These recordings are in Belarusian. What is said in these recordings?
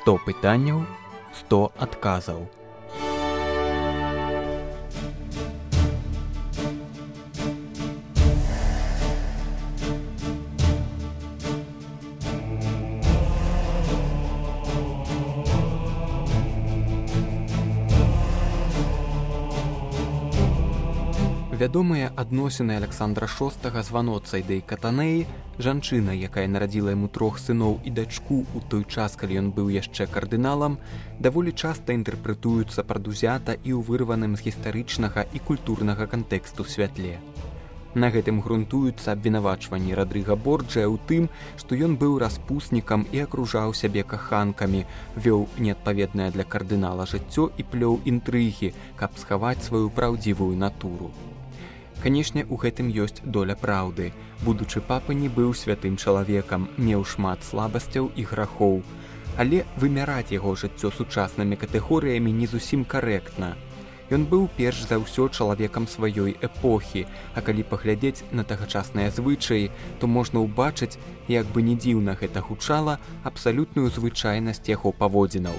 100 пытанняў, 100 адказаў. Вядомыя адносіны Аляксандра VI з Ваноцай Катанеі, жанчына, якая нарадзіла яму 3 сыноў і дачку ў той час, калі ён быў яшчэ кардыналам, даволі часта інтэрпрэтуюцца прадузята і ў вырваным з гістарычнага і культурнага кантэксту святле. На гэтым грунтуюцца абвінавачванні Радрыга Борджыя ў тым, што ён быў распуснікам і акружаў сябе каханкамі, вёў неадпаведнае для кардынала жыццё і плёў інтрыгі, каб схаваць сваю праўдзівую натуру. Канешне, у гэтым ёсць доля праўды. Будучы папа не быў святым чалавекам, меў шмат слабасцяў і грахоў. Але вымяраць яго жыццё сучаснымі катэгорыямі не зусім карэктна. Ён быў перш за ўсё чалавекам сваёй эпохі, а калі паглядзець на тагачасныя звычаі, то можна ўбачыць, як бы не дзіўна гэта гучала, абсалютную звычайнасць яго паводзінаў.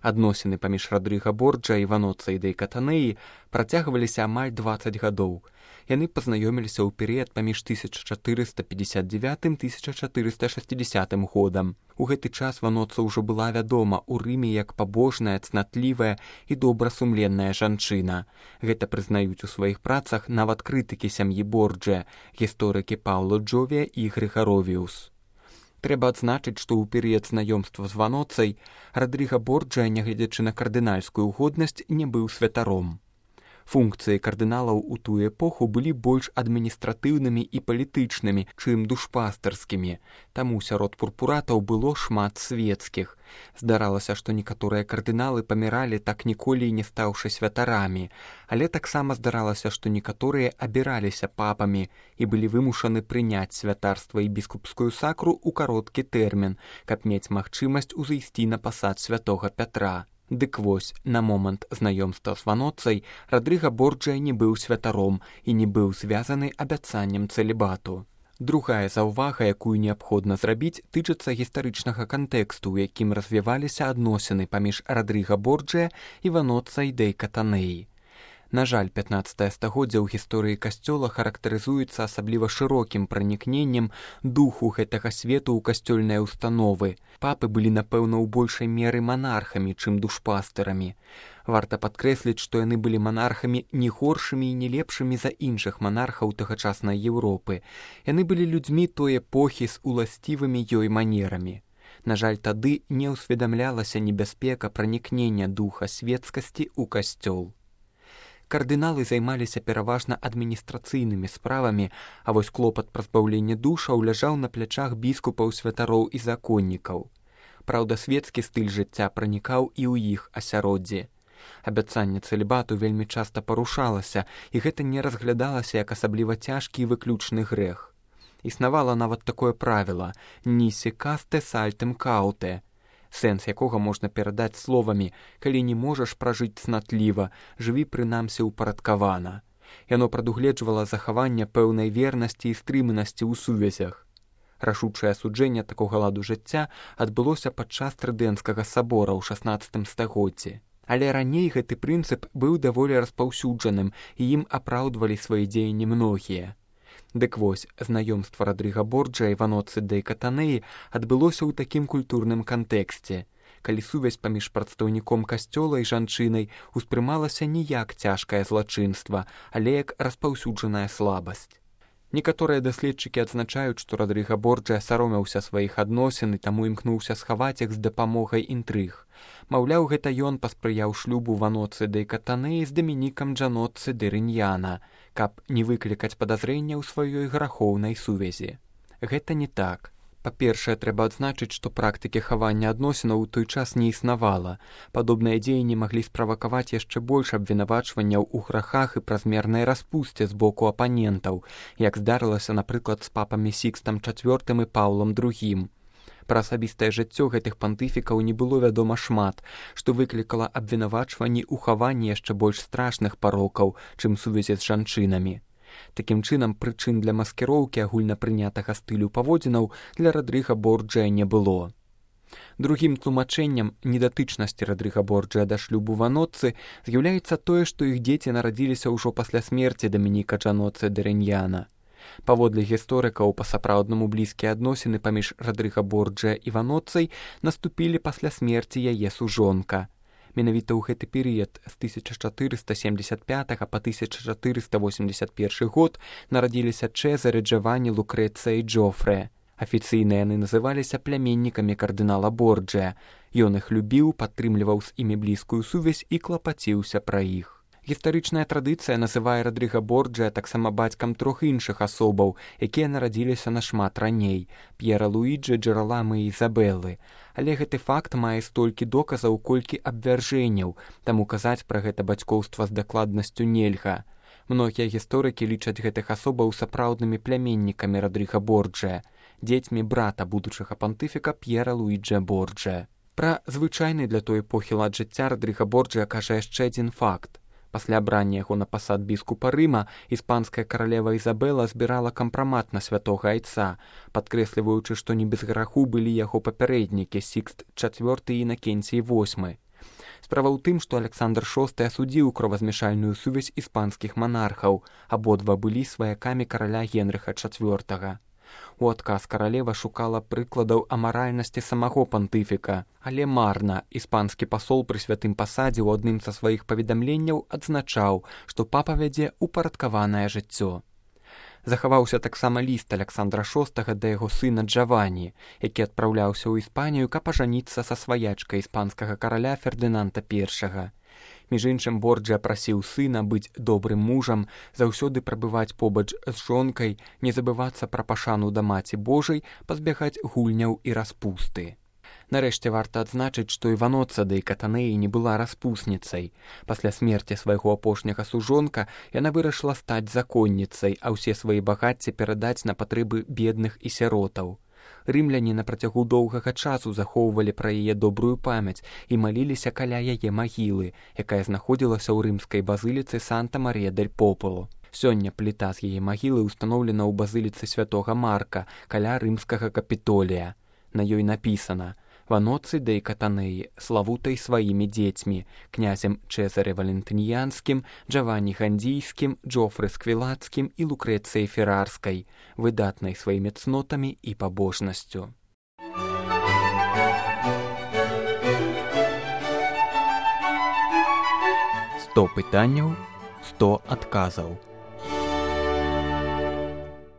Адносіны паміж Радрыга Борджа і Ваноцай Катанеі працягваліся амаль 20 гадоў. Яны пазнаёміліся ў перыяд паміж 1459-1460 годам. У гэты час Ваноца ўжо была вядома ў Рыме як пабожная, цнатлівая і добрасумленная жанчына. Гэта прызнаюць у сваіх працах нават крытыкі сям'і Борджа, гісторыкі Паўло Джовія і Грыгаровіус. Трэба адзначыць, што ў перыяд знаёмства з Ваноцай Радрыга Борджа, нягледзячы на кардынальскую годнасць, не быў святаром. Функцыі кардыналаў у тую эпоху былі больш адміністратыўнымі і палітычнымі, чым душпастарскімі, таму сярод пурпуратаў было шмат свецкіх. Здаралася, што некаторыя кардыналы паміралі, так ніколі і не стаўшы святарамі, але таксама здаралася, што некаторыя абіраліся папамі і былі вымушаны прыняць святарства і біскупскую сакру ў кароткі тэрмін, каб мець магчымасць узайсці на пасад святога Пятра. Дык вось, на момант знаёмства з Ваноцай Радрыга Борджа не быў святаром і не быў звязаны абяцаннем цэлібату. Другая заўвага, якую неабходна зрабіць, тычыцца гістарычнага кантэксту, у якім развіваліся адносіны паміж Радрыга Борджа і Ваноцай Катанеі. На жаль, 15 стагоддзя ў гісторыі касцёла характарызуецца асабліва шырокім пранікненнем духу гэтага свету ў касцёльныя ўстановы. Папы былі, напэўна, у большай меры манархамі, чым душпастарамі. Варта падкрэсліць, што яны былі манархамі не горшымі і не лепшымі за іншых манархаў тагачаснай Еўропы. Яны былі людзьмі той эпохі з уласцівымі ёй манерамі. На жаль, тады не ўсведамлялася небяспека пранікнення духа свецкасці ў касцёл. Кардыналы займаліся пераважна адміністрацыйнымі справамі, а вось клопат пазбаўлення душаў ляжаў на плячах біскупаў, святароў і законнікаў. Праўда, свецкі стыль жыцця пранікаў і ў іх асяроддзі. Абяцанне цэлібату вельмі часта парушалася, і гэта не разглядалася як асабліва цяжкі і выключны грэх. Існавала нават такое правіла «нісе касте сальтем кауте», сэнс якога можна перадаць словамі «калі не можаш пражыць цнатліва, жыві прынамсі ўпарадкавана». Яно прадугледжвала захаванне пэўнай вернасці і стрыманасці ў сувязях. Рашучае асуджэнне такога ладу жыцця адбылося падчас Трыдэнцкага сабора ў 16 стагоддзі. Але раней гэты прынцып быў даволі распаўсюджаным, і ім апраўдвалі свае дзеянні многія. Дык вось, знаёмства Радрыга Борджа і Ваноцы Катанеі адбылося ў такім культурным кантэксце, калі сувязь паміж прадстаўніком касцёла і жанчынай успрымалася не як цяжкае злачынства, але як распаўсюджаная слабасць. Некаторыя даследчыкі адзначаюць, што Радрыга Борджа саромеўся сваіх адносін і таму імкнуўся схаваць іх з дапамогай інтрыг. Маўляў, гэта ён паспрыяў шлюбу Ваноцы Катанеі з Дамінікам Джаноццы Рыньяна, каб не выклікаць падазрення ў сваёй грахоўнай сувязі. Гэта не так. Па-першае, трэба адзначыць, што практыкі хавання адносінаў у той час не існавала. Падобныя дзеянні маглі справакаваць яшчэ больш абвінавачванняў у грахах і празмернай распусце з боку апанентаў, як здарылася, напрыклад, з папамі Сікстам IV і Паўлам II. Пра асабістае жыццё гэтых пантыфікаў не было вядома шмат, што выклікала абвінавачванні ў хаванні яшчэ больш страшных парокаў, чым сувязі з жанчынамі. Такім чынам, прычын для маскіроўкі агульнапрынятага стылю паводзінаў для Радрыга Борджыя не было. Другім тлумачэннем недатычнасці Радрыга Борджыя да шлюбу Ваноццы з'яўляецца тое, што іх дзеці нарадзіліся ўжо пасля смерці Дамініка Джаноцци Дэрэньяна. Паводле гісторыкаў, па-сапраўднаму блізкія адносіны паміж Радрыга Борджыя і Ваноццай наступілі пасля смерці яе сужонка. Менавіта ў гэты перыяд з 1475 па 1481 год нарадзіліся Чэзары, Джаванні, Лукрэцыя і Джофрэ. Афіцыйна яны называліся пляменнікамі кардынала Борджыя. Ён іх любіў, падтрымліваў з імі блізкую сувязь і клапаціўся пра іх. Гістарычная традыцыя называе Радрыга Борджыя таксама бацькам трох іншых асобаў, якія нарадзіліся нашмат раней – П'ера Луіджы, Джэраламы і Ізабеллы. Але гэты факт мае столькі доказаў, колькі абвяржэнняў, таму казаць пра гэта бацькоўства з дакладнасцю нельга. Многія гісторыкі лічаць гэтых асобаў сапраўднымі пляменнікамі Радрыга Борджыя, дзецьмі брата будучага пантыфіка П'ера Луіджа Борджыя. Пра звычайны для той эпохі лад жыцця Радрыга Борджыя кажа яшчэ адзін факт. Пасля абрання яго на пасад біскупа Рыма іспанская каралева Ізабела збірала кампрамат на святога айца, падкрэсліваючы, што не без граху былі яго папярэднікі Сікст IV і Інакенцій VIII. Справа ў тым, што Александр VI асудзіў кровазмяшальную сувязь іспанскіх манархаў, абодва былі сваякамі караля Генрыха IV. У адказ каралева шукала прыкладаў амаральнасці самого пантыфіка, але марна. Іспанскі пасол пры святым пасадзе ў адным са сваіх паведамленняў адзначаў, што папа вядзе упарадкаванае жыццё. Захаваўся таксама ліст Александра VI да яго сына Джаванні, які адпраўляўся ў Іспанію, каб ажаніцца са сваячкай іспанскага караля Фердынанда I. Між іншым, Борджыя прасіў сына быць добрым мужам, заўсёды прабываць побач з жонкай, не забывацца пра пашану да Маці Божай, пазбягаць гульняў і распусты. Нарэшце варта адзначыць, што і Ваноцца дэй Катанеі не была распусніцай. Пасля смерці свайго апошняга сужонка яна вырашыла стаць законніцай, а ўсе свае багацці перадаць на патрэбы бедных і сіротаў. Рымляне на працягу доўгага часу захоўвалі пра яе добрую памяць і маліліся каля яе магілы, якая знаходзілася ў рымскай базыліцы Санта-Марія-дель-Популо. Сёння пліта з яе магілы ўстаноўлена ў базыліцы святога Марка каля рымскага Капітолія. На ёй напісана: Ваноцци дэй Катанеі, славутай сваімі дзецьмі, князем Чэзаре Валентыньянскім, Джаванні Гандзійскім, Джофры Сквілацкім і Лукрэцыяй Феррарскай, выдатнай сваімі цнотамі і пабожнасцю. 100 пытанняў, 100 адказаў.